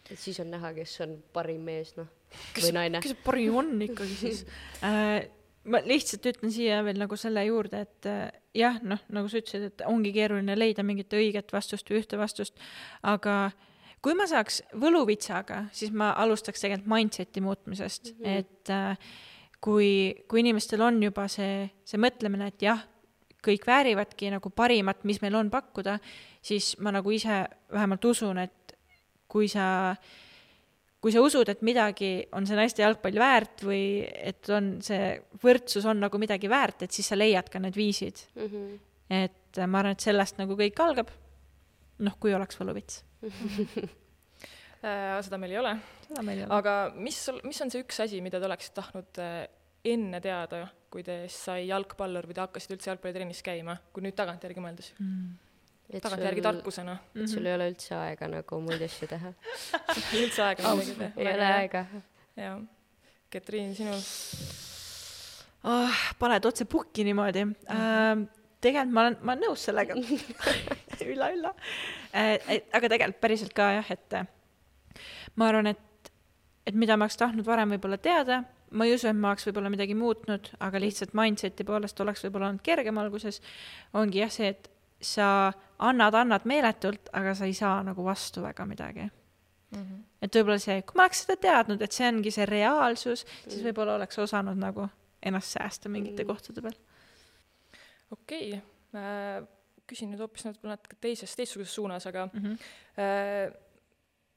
et siis on näha, kes on parim mees, noh, või naine. Kes parim on ikkagi siis? äh, ma lihtsalt ütlen siia veel nagu selle juurde, et äh, jah, noh, nagu sa ütlesid, et ongi keeruline leida mingit õiget vastust või ühte vastust, aga kui ma saaks võluvitsaga, siis ma alustaks tegelikult mindseti muutmisest, mm-hmm. et äh, Kui, kui inimestel on juba see, see mõtlemine, et jah, kõik väärivadki nagu parimat, mis meil on pakkuda, siis ma nagu ise vähemalt usun, et kui sa, kui sa usud, et midagi on see naiste jalgpall väärt või et on see võrdsus on nagu midagi väärt, et siis sa leiad ka need viisid. Mm-hmm. Et ma arvan, et sellest nagu kõik algab, noh, kui oleks võluvits. Seda meil ei ole. Seda meil ei ole. Aga mis, mis on see üks asi, mida te oleksid tahtnud enne teada, kui te sai jalgpallur või te hakkasid üldse jalgpallitrennis käima, kui nüüd tagantjärgi mõeldes? Mm. Tagantjärgi tarkusena. Et sul mm-hmm. ei ole üldse aega nagu muid asju teha. üldse aega. Ei ole aega. Ja. Ketriin, sinu? Oh, paned otse pukki niimoodi. Mm-hmm. Uh, tegelikult ma olen, ma olen nõus sellega. ülla, ülla. Uh, aga tegelikult päriselt ka jah, et ma arvan, et, et mida ma oleks tahtnud varem võib-olla teada, ma ei usu, et ma oleks võib-olla midagi muutnud, aga lihtsalt mindseti poolest oleks võib-olla olnud kergem alguses, ongi jah see, et sa annad, annad meeletult, aga sa ei saa nagu vastu väga midagi. Mm-hmm. Et võib-olla see, kui ma oleks seda teadnud, et see ongi see reaalsus, mm-hmm. siis võib-olla oleks osanud nagu ennast säästa mingite mm-hmm. kohtade peal. Okei, okay. Küsin nüüd hoopis natuke teises, teistsuguses suunas, aga mm-hmm. äh,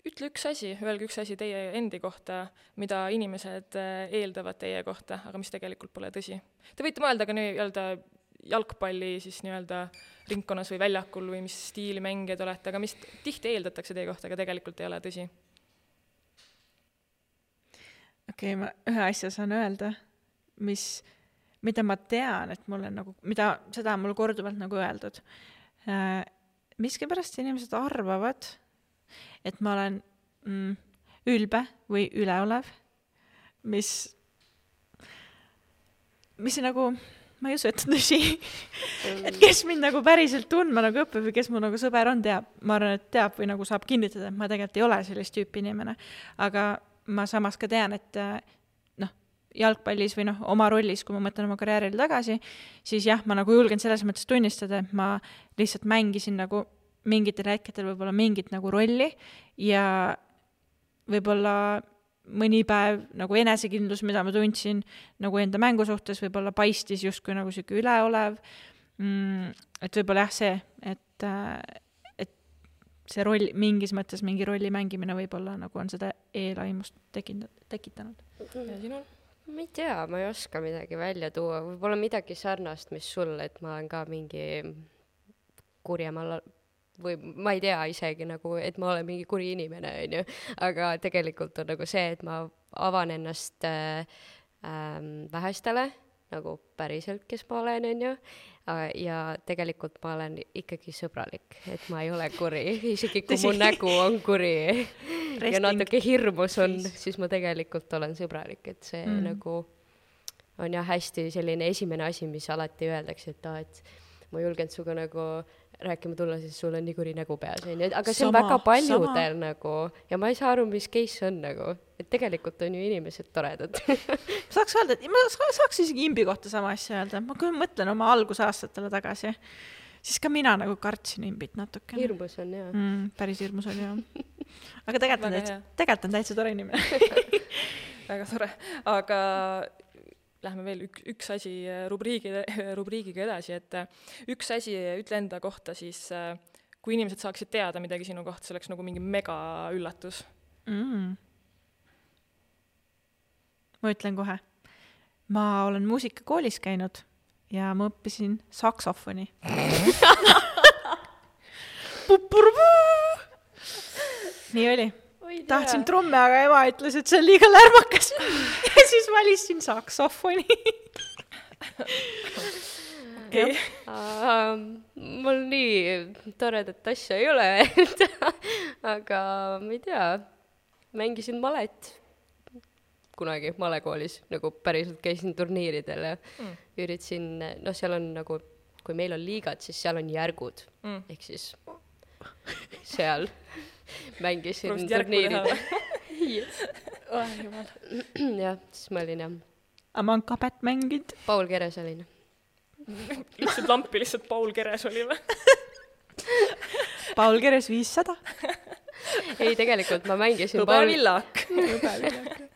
ütle üks asi, öelge üks asi teie endi kohta, mida inimesed eeldavad teie kohta, aga mis tegelikult pole tõsi. Te võite mõelda ka nii öelda jalgpalli siis nii-öelda ringkonnas või väljakul või mis stiili mängijad olete, aga mis tihti eeldatakse teie kohta, aga tegelikult ei ole tõsi? okei okay,, ma ühe asja saan öelda, mis, mida ma tean, et mul on nagu, mida, seda on mul korduvalt nagu öeldud. Miskipärast inimesed arvavad, et ma olen mm, ülbe või üleolev, mis, mis nagu, ma ei usu, et tõsi, et kes mind nagu päriselt tundma nagu õpib või kes mu nagu sõber on, teab, ma arvan, et teab või nagu saab kinnitada, et ma tegelikult ei ole sellist tüüpi inimene, aga ma samas ka tean, et noh, jalgpallis või noh, oma rollis, kui ma mõtlen oma karjääril tagasi, siis jah, ma nagu julgen selles mõttes tunnistada, et ma lihtsalt mängisin nagu mingitel hetkedel võib-olla mingit nagu rolli ja võib-olla mõni päev nagu enesekindlus, mida ma tundsin nagu enda mängu suhtes, võib-olla paistis justkui nagu siuke üleolev, mm, et võib-olla jah see, et, et see roll, mingis mõttes mingi rolli mängimine võib-olla nagu on seda eelaimust tekitanud. Ja sinul? Ma ei tea, ma ei oska midagi välja tuua, võib-olla midagi sarnast, mis sul, et ma olen ka mingi kurjemal või ma ei tea isegi nagu, et ma olen mingi kuri inimene, on ju, aga tegelikult on nagu see, et ma avan ennast äh, äh, vähestele, nagu päriselt, kes ma olen, on ju, ja tegelikult ma olen ikkagi sõbralik, et ma ei ole kuri, isegi kui mu nägu on kuri ja natuke hirmus on, siis ma tegelikult olen sõbralik, et see mm. nagu on jah hästi selline esimene asi, mis alati öeldakse, et, ah, et ma julgen suga nagu rääkima tulla, siis sul on nii kuri nägu peas, on ju, aga see on sama, väga paljudel sama. Nagu, ja ma ei saa aru, mis case on nagu, et tegelikult on ju inimesed toredad. Saaks öelda, et ma saaks isegi imbi kohta sama asja öelda, ma kui mõtlen oma algusaastatele tagasi, siis ka mina nagu kartsin imbit natuke. Hirmus on, jah. Mm, päris hirmus on, jah. Aga tegelikult on, täitsa, tegelikult on täitsa tore inimene. Väga tore, aga lähme veel üks, üks asi rubriigi, rubriigiga edasi, et üks asi ütle enda kohta siis, kui inimesed saaksid teada midagi sinu kohta, see oleks nagu mingi mega üllatus. Mm. Ma ütlen kohe. Ma olen muusikakoolis käinud ja ma õppisin saksofoni. Nii oli. Tahtsin trumme, aga ema ütles, et see on liiga lärmakas. Ja siis valisin saksofoni. Okay. Uh, mul nii toredat asja ei ole, aga ma ei tea, mängisin malet kunagi malekoolis, nagu päriselt käisin turniiridel ja mm. üritasin, no seal on nagu, kui meil on liigad, siis seal on järgud, mm. ehk siis seal mängisin turniiridel. Yes. Oh, jumal. jah, siis ma olin jah. Aga ma on kabet mängid. Paul Keres olin. Lihtsalt lampi lihtsalt Paul Keres oli või? Paul Keres viissada. Ei, tegelikult ma mängisin Hõbe Paul... Villak.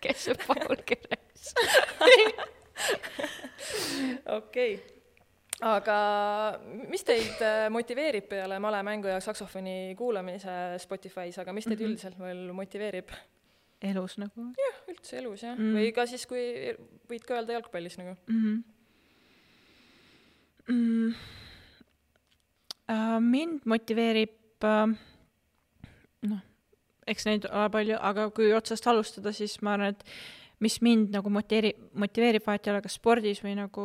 Kes on Paul Keres? Okei. Okay. Aga mis teid motiveerib peale malemängu ja saksofoni kuulamise Spotify's, aga mis teid mm-hmm. üldiselt veel motiveerib? Elus nagu? Jah, üldse elus, jah. Mm. Või ka siis, kui võid ka öelda jalgpallis nagu? Mm-hmm. Mm. Uh, mind motiveerib, uh, noh, eks neid ole palju, aga kui otsast alustada, siis ma arvan, et mis mind nagu motiveerib, motiveerib vahet ei ole kas spordis või nagu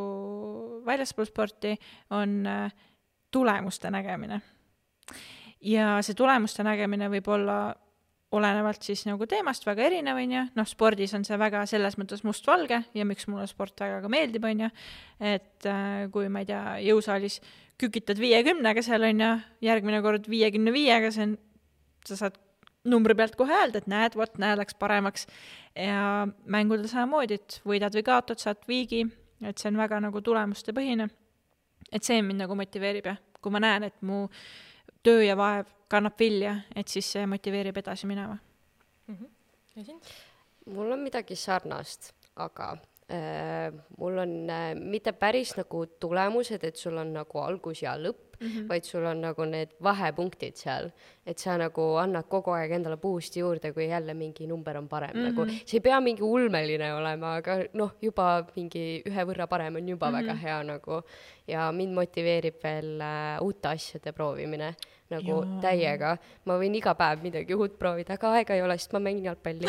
väljaspool sporti, on uh, tulemuste nägemine. Ja see tulemuste nägemine võib olla olenevalt siis nagu teemast väga erinev, on ju, noh, spordis on see väga selles mõttes mustvalge ja miks mulle sport väga ka meeldib, on ju, et äh, kui ma ei tea, jõusaalis kükitad viiekümnega seal, on ju, järgmine kord viiekümne viiega, see on, sa saad numbri pealt kohe öelda, et näed, vot, näe, läks paremaks ja mängudel samamoodi, et võidad või kaotad, saad viigi, et see on väga nagu tulemuste põhine, et see mind nagu motiveerib ja kui ma näen, et mu töö ja vaev kannab vilja, et siis see motiveerib edasi minema. Mm-hmm. Ja sind? Mul on midagi sarnast, aga äh, mul on äh, mitte päris nagu tulemused, et sul on nagu algus ja lõpp, mm-hmm. vaid sul on nagu need vahepunktid seal, et sa nagu annad kogu aeg endale boost'i juurde, kui jälle mingi number on parem mm-hmm. nagu, see ei pea mingi ulmeline olema, aga noh, juba mingi ühe võrra parem on juba mm-hmm. väga hea nagu ja mind motiveerib veel äh, uute asjade proovimine nagu Joo. täiega. Ma võin iga päev midagi uut proovida, aga aega ei ole, sest ma mängin jalgpalli.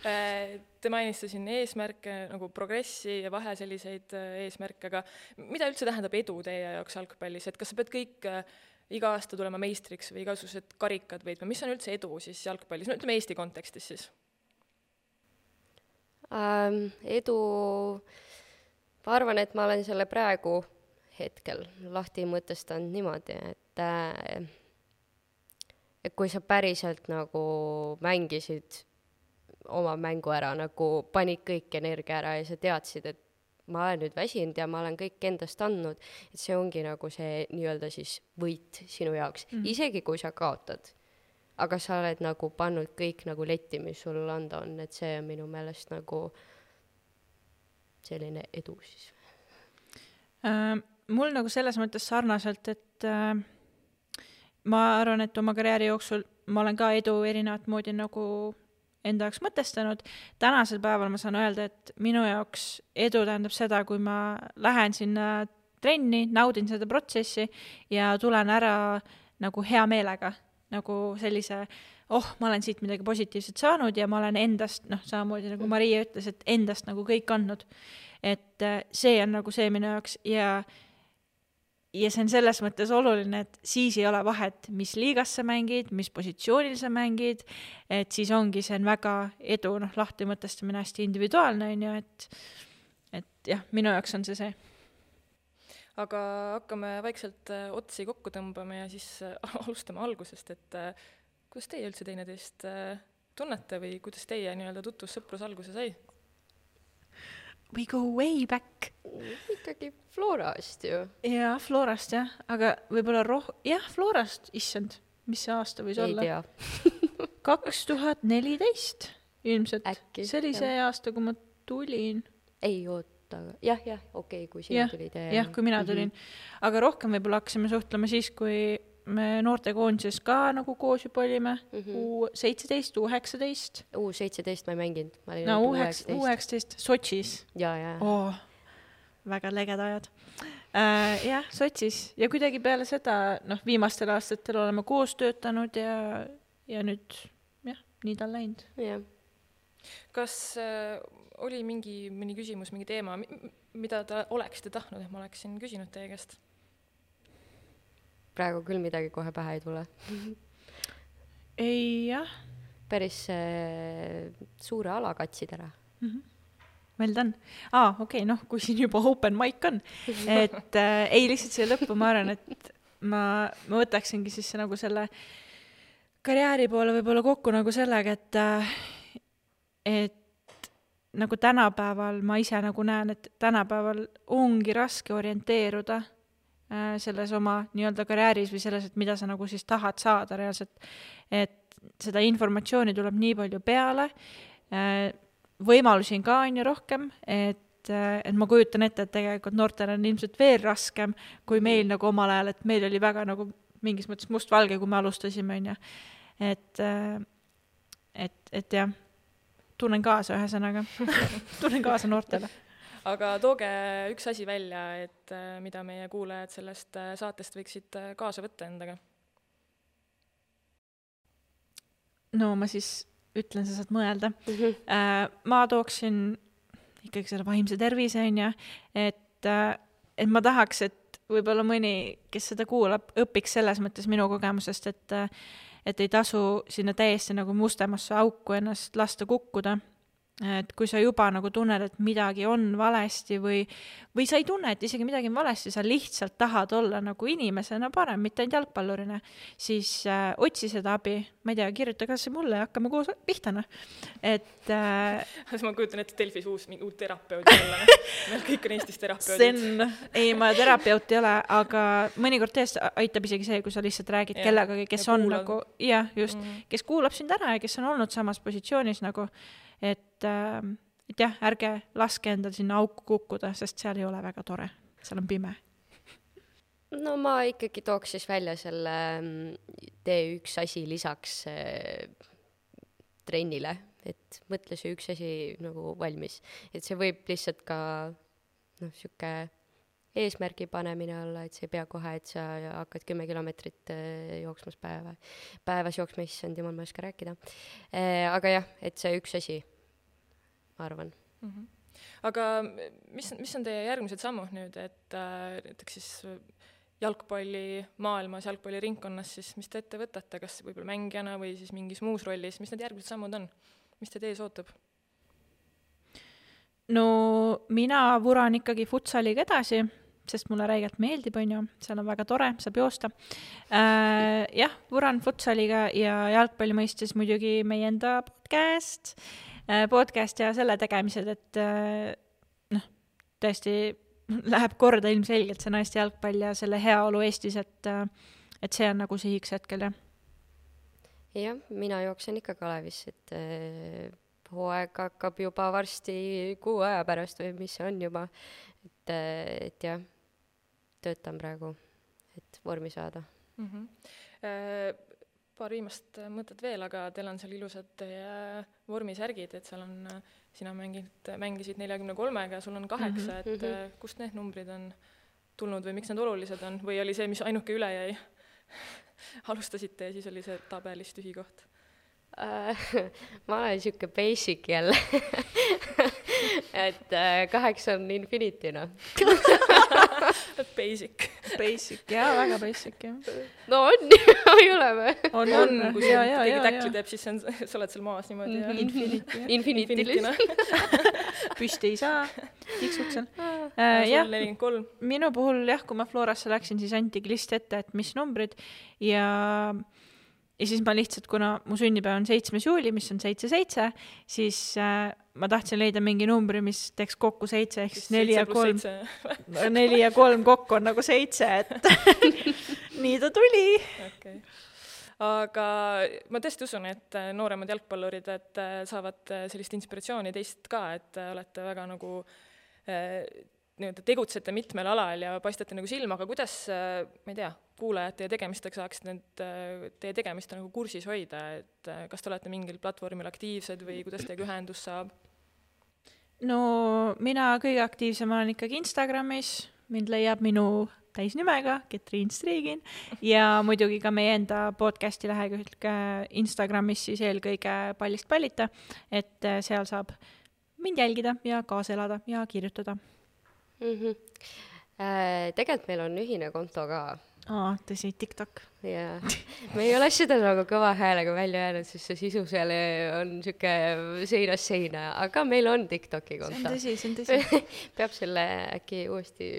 Te mainiste siin eesmärke, nagu progressi ja vahe selliseid eesmärke, aga mida üldse tähendab edu teie jaoks jalgpallis? Et kas sa pead kõik iga aasta tulema meistriks või igasugused karikad võitma? Mis on üldse edu siis jalgpallis? No ütleme Eesti kontekstis siis. Ähm, edu, ma arvan, et ma olen selle praegu hetkel lahti mõtestanud niimoodi, et, äh, et kui sa päriselt nagu mängisid oma mängu ära, nagu panid kõik energia ära ja sa teadsid, et ma olen nüüd väsinud ja ma olen kõik endast andnud, et see ongi nagu see nii-öelda siis võit sinu jaoks, mm. isegi kui sa kaotad. Aga sa oled nagu pannud kõik nagu letti, mis sul anda on, et see on minu meelest nagu selline edu siis. Äh, mul nagu selles mõttes sarnaselt, et äh, ma arvan, et oma karjääri jooksul ma olen ka edu erinevat moodi nagu enda jaoks mõtestanud. Tänasel päeval ma saan öelda, et minu jaoks edu tähendab seda, kui ma lähen sinna trenni, naudin seda protsessi ja tulen ära nagu hea meelega, nagu sellise, oh, ma olen siit midagi positiivset saanud ja ma olen endast, noh, samamoodi nagu Maria ütles, et endast nagu kõik andnud. Et see on nagu see minu jaoks ja ja see on selles mõttes oluline, et siis ei ole vahet, mis liigas sa mängid, mis positsioonil sa mängid, et siis ongi see on väga edu, noh, lahti mõtestamine hästi individuaalne, on ju, et, et jah, minu jaoks on see see. Aga hakkame vaikselt otsi kokku tõmbama ja siis alustame algusest, et kuidas teie üldse teineteist tunnete või kuidas teie nii-öelda tutvus sõprus alguse sai? We go way back. Ikkagi Florast ju. Jaa, Florast jah, aga võib-olla roh-, jah, Florast, issand, mis see aasta võis ei olla? Ei tea. kaks tuhat neliteist ilmselt. Äkki. See oli see jah. aasta, kui ma tulin. Ei oota, jah, jah, okei, okay, kui sina jah, tulid. Jah, kui mina tulin. Mm-hmm. Aga rohkem võib-olla hakkasime suhtlema siis, kui me noortekoondises ka nagu koos juba olime, mm-hmm. U seitseteist, U üheksateist. U seitseteist ma ei mänginud. Ma olin no U üheksateist, Sotšis. Ja, ja. Oh, väga leged ajad. Äh, jah, Sotšis. Ja kuidagi peale seda, noh, viimastel aastatel oleme koos töötanud ja, ja nüüd, jah, nii ta on läinud. Ja. Kas äh, oli mingi, mingi küsimus, mingi teema, mida ta oleksite tahtnud, et ma oleksin küsinud teie käest? Praegu küll midagi kohe pähe ei tule. ei, jah. Päris äh, suure ala katsid ära. Mm-hmm. Well done. Aa, okei, okay, noh, kui siin juba open mic on. Et äh, ei lihtsalt siia lõppu, ma arvan, et ma, ma võtaksingi siis nagu selle karjääri poole võib-olla kokku nagu sellega, et, äh, et nagu tänapäeval ma ise nagu näen, et tänapäeval ongi raske orienteeruda selles oma nii-öelda karjääris või selles, et mida sa nagu siis tahad saada reaalselt, et seda informatsiooni tuleb nii palju peale, võimalusi on ka on ju rohkem, et, et ma kujutan ette, et tegelikult noortel on ilmselt veel raskem kui meil nagu omal ajal, et meil oli väga nagu mingis mõttes mustvalge, kui me alustasime, on ju. Et, et, et jah, tunnen kaasa ühesõnaga, tunnen kaasa noortele. Aga tooge üks asi välja, et mida meie kuulajad sellest saatest võiksid kaasa võtta endaga. No ma siis ütlen, sa saad mõelda. Mm-hmm. Ma tooksin ikkagi selle vaimse tervise, on ju, et, et ma tahaks, et võib-olla mõni, kes seda kuulab, õpiks selles mõttes minu kogemusest, et, et ei tasu sinna täiesti nagu mustemasse auku ennast lasta kukkuda. Et kui sa juba nagu tunned, et midagi on valesti või, või sa ei tunne, et isegi midagi on valesti, sa lihtsalt tahad olla nagu inimesena parem, mitte ainult jalgpallurina, siis äh, otsi seda abi, ma ei tea, kirjuta kas mulle ja hakkame koos pihtana. Et äh, ma kujutan ette Delfis uus, mingi uut terapeudi olla. Meil kõik on Eestis terapeudid. Sen, ei, ma terapeut ei ole, aga mõnikord tõesti aitab isegi see, kui sa lihtsalt räägid ja, kellegagi, kes on kuulad. Nagu, jah, just, mm-hmm. kes kuulab sind ära ja kes on olnud samas positsioonis nagu et, et jah, ärge laske endal sinna auku kukkuda, sest seal ei ole väga tore, seal on pime. no ma ikkagi tooks siis välja selle tee üks asi lisaks äh, trennile, et mõtle see üks asi nagu valmis. Et see võib lihtsalt ka noh, siuke eesmärgi panemine olla, et see ei pea kohe, et sa hakkad kümme kilomeetrit jooksmas päeva, päevas jooksma, issand jumal, ma ei oska rääkida. Aga jah, et see üks asi, ma arvan. Mm-hmm. Aga mis, mis on teie järgmised sammud nüüd, et äh, näiteks siis jalgpalli maailmas, jalgpalli ringkonnas, siis mis te ette võtate, kas võib-olla mängijana või siis mingis muus rollis, mis need järgmised sammud on? Mis te tees ootab? No mina vuran ikkagi futsaliga edasi, sest mulle räigelt meeldib, on ju, seal on väga tore, saab joosta. Äh, jah, vuran futsaliga ja jalgpalli mõistes muidugi meie enda podcast, äh, podcast ja selle tegemised, et äh, noh, tõesti läheb korda ilmselgelt see naiste jalgpall ja selle heaolu Eestis, et, äh, et see on nagu sihiks hetkel, jah. Jah, mina jooksen ikka Kalevis, et äh, hooaeg hakkab juba varsti kuu aja pärast või mis see on juba, et, äh, et jah, töötan praegu, et vormi saada. Mm-hmm. Äh, paar viimast mõtet veel, aga teil on seal ilusad teie vormisärgid, et seal on, sina mängid, mängisid neljakümne kolmega ja sul on kaheksa, mm-hmm. et mm-hmm. kust need numbrid on tulnud või miks need olulised on? Või oli see, mis ainuke üle jäi? Alustasite ja siis oli see tabelis tühi koht? Uh, ma olen siuke basic jälle. et uh, kaheksa on infinity'na. Basic. Basic, jaa, väga basic, jah. No on, ei ole või? On, on, kui see keegi täkli teeb, siis on, sa oled seal maas niimoodi. Mm-hmm. Infinity. Infinity'lis. Püsti ei saa, tiksud seal. Uh, jah, nelikümmend kolm. Minu puhul, jah, kui ma Florasse läksin, siis antigi list ette, et mis numbrid ja... Ja siis ma lihtsalt, kuna mu sünnipäev on seitsmes juuli, mis on seitse seitse, siis äh, ma tahtsin leida mingi numbri, mis teeks kokku seitse, ehk siis neli ja kolm. neli ja kolm kokku on nagu seitse, et nii ta tuli. Okay. Aga ma tõesti usun, et nooremad jalgpallurid et saavad sellist inspiratsiooni teist ka, et olete väga nagu äh, tegutsete mitmel alal ja paistate nagu silma, aga kuidas, ma ei tea, kuulajad teie tegemistega saaksid need teie tegemist nagu kursis hoida, et kas te olete mingil platvormil aktiivsed või kuidas teiega ühendus saab? No mina kõige aktiivsem olen ikkagi Instagramis, mind leiab minu täisnimega, Ketriin Striigin, ja muidugi ka meie enda podcasti lehekülg Instagramis siis eelkõige Pallist pallita, et seal saab mind jälgida ja kaasa elada ja kirjutada. Mm-hmm. Äh, tegelikult meil on ühine konto ka. Aa, tõsi, TikTok. Yeah. Me ei ole seda nagu kõva häälega välja jäänud, sest see sisu seal on siuke seinas seina, aga meil on TikToki konto. See on tõsi, see on tõsi. Peab selle äkki uuesti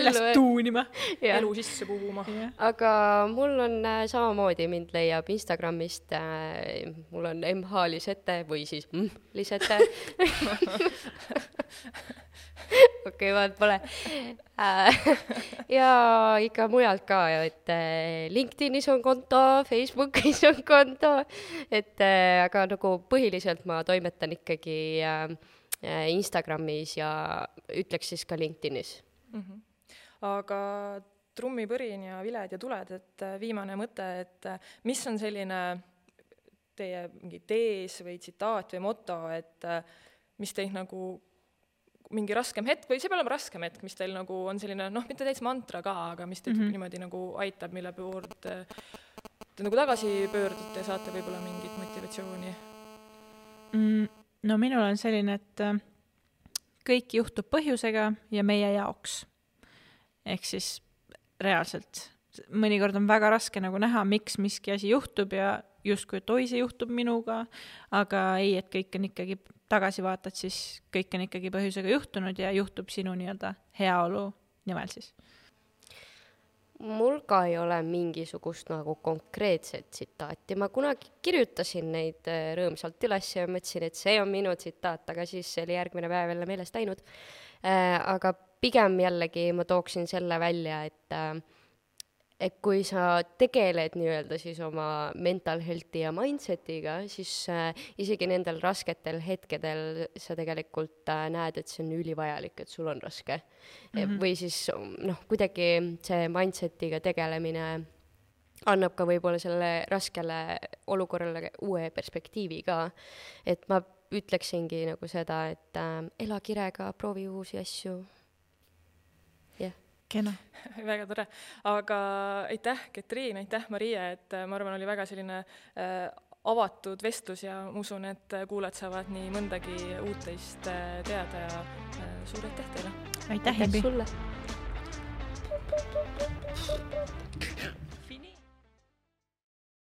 üles tuunima, ja. Elu sisse puhuma. Yeah. Aga mul on äh, samamoodi, mind leiab Instagramist, äh, mul on M H Lisette või siis mm, Lisette. okei, vaat pole. ja ikka mujalt ka, et LinkedInis on konto, Facebookis on konto, et aga nagu põhiliselt ma toimetan ikkagi Instagramis ja ütleks siis ka LinkedInis. Mm-hmm. Aga trummipõrin ja viled ja tuled, et viimane mõte, et mis on selline teie mingi tees või tsitaat või moto, et mis teid nagu mingi raskem hetk, või see peab olema raskem hetk, mis teil nagu on selline, noh, mitte täitsa mantra ka, aga mis teid mm-hmm. niimoodi nagu aitab, mille pooled te, te nagu tagasi pöördute ja saate võib-olla mingit motivatsiooni? Mm, no minul on selline, et kõik juhtub põhjusega ja meie jaoks. Ehk siis reaalselt. Mõnikord on väga raske nagu näha, miks miski asi juhtub ja justkui, et oi, see juhtub minuga, aga ei, et kõik on ikkagi tagasi vaatad, siis kõik on ikkagi põhjusega juhtunud ja juhtub sinu nii-öelda heaolu nimel siis. Mul ka ei ole mingisugust nagu konkreetset tsitaati. Ma kunagi kirjutasin neid rõõmsalt üles ja mõtlesin, et see on minu tsitaat, aga siis see oli järgmine päev jälle meelest läinud. Aga pigem jällegi ma tooksin selle välja, et et kui sa tegeled nii-öelda siis oma mental health'i ja mindset'iga, siis äh, isegi nendel rasketel hetkedel sa tegelikult äh, näed, et see on ülivajalik, et sul on raske mm-hmm. või siis noh, kuidagi see mindset'iga tegelemine annab ka võib-olla selle raskele olukorrale uue perspektiivi ka, et ma ütleksingi nagu seda, et äh, ela kirega, proovi uusi asju. jah. Kena. Väga tore. Aga aitäh, Ketriin, aitäh, Maria, et ma arvan, oli väga selline äh, avatud vestlus ja ma usun, et kuulajad saavad nii mõndagi uut teist äh, teada ja äh, suur aitäh teile. Aitäh, Himbi. Sulle.